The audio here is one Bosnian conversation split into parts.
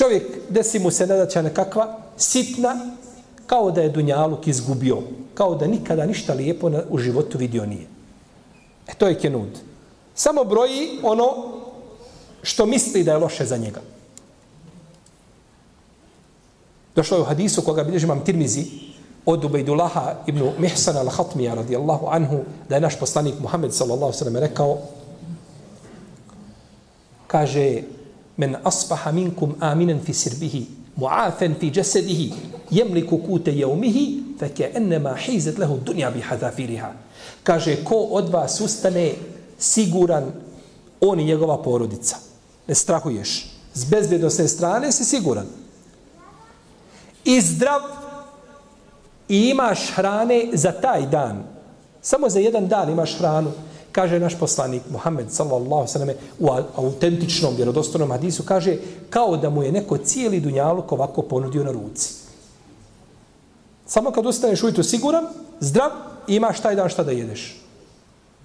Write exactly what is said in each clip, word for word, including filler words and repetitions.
Čovjek, desi mu se nedaća nekakva sitna, kao da je dunjaluk izgubio, kao da nikada ništa lijepo na, u životu vidio nije. E to je kenud. Samo broji ono što misli da je loše za njega. Došlo je u hadisu koga bilježi imam Tirmizi od Ubejdullaha ibn Mihsana al-Hatmija radijallahu anhu, da je naš poslanik Muhammed sallallahu sallam rekao, kaže, men asbaha minkum aminen fi sirbihi, mu'afen fi jasadihi, jemliku kute jeumihi, feke ennema hizet lehu dunja bi hadafiriha. Kaže, ko od vas ustane siguran, on i njegova porodica. Ne strahuješ. S bezbjednostne strane si siguran. I zdrav i imaš hrane za taj dan. Samo za jedan dan imaš hranu. Kaže naš poslanik Muhammed sallallahu sallam u autentičnom vjerodostojnom hadisu, kaže kao da mu je neko cijeli dunjaluk ovako ponudio na ruci. Samo kad ustaneš ujutro siguran, zdrav i imaš taj dan šta da jedeš.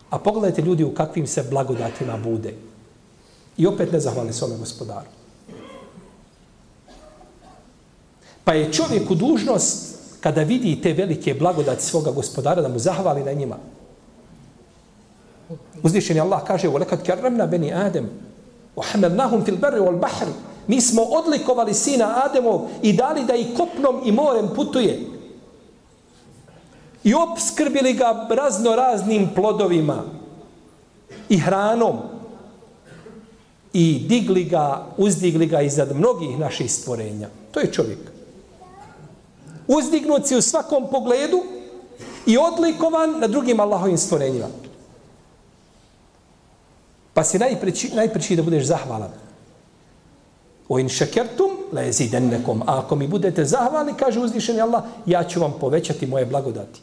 A pogledajte ljudi u kakvim se blagodatima bude. I opet ne zahvali svome gospodaru. Pa je čovjeku dužnost kada vidi te velike blagodati svoga gospodara da mu zahvali na njima. Uzvišeni Allah kaže وَلَكَدْ كَرَّمْنَا بَنِي آدَمَ وَحَمَلْنَاهُمْ فِي الْبَرِّ وَالْبَحْرِ. Mi smo odlikovali sina Ademov i dali da i kopnom i morem putuje. I opskrbili ga razno raznim plodovima i hranom. I digli ga, uzdigli ga iznad mnogih naših stvorenja. To je čovjek. Uzdignut si u svakom pogledu i odlikovan na drugim Allahovim stvorenjima. Pa si najpreći, najpreći da budeš zahvalan. O in šekertum la jezidennekom. A ako mi budete zahvalni, kaže uzvišeni Allah, ja ću vam povećati moje blagodati.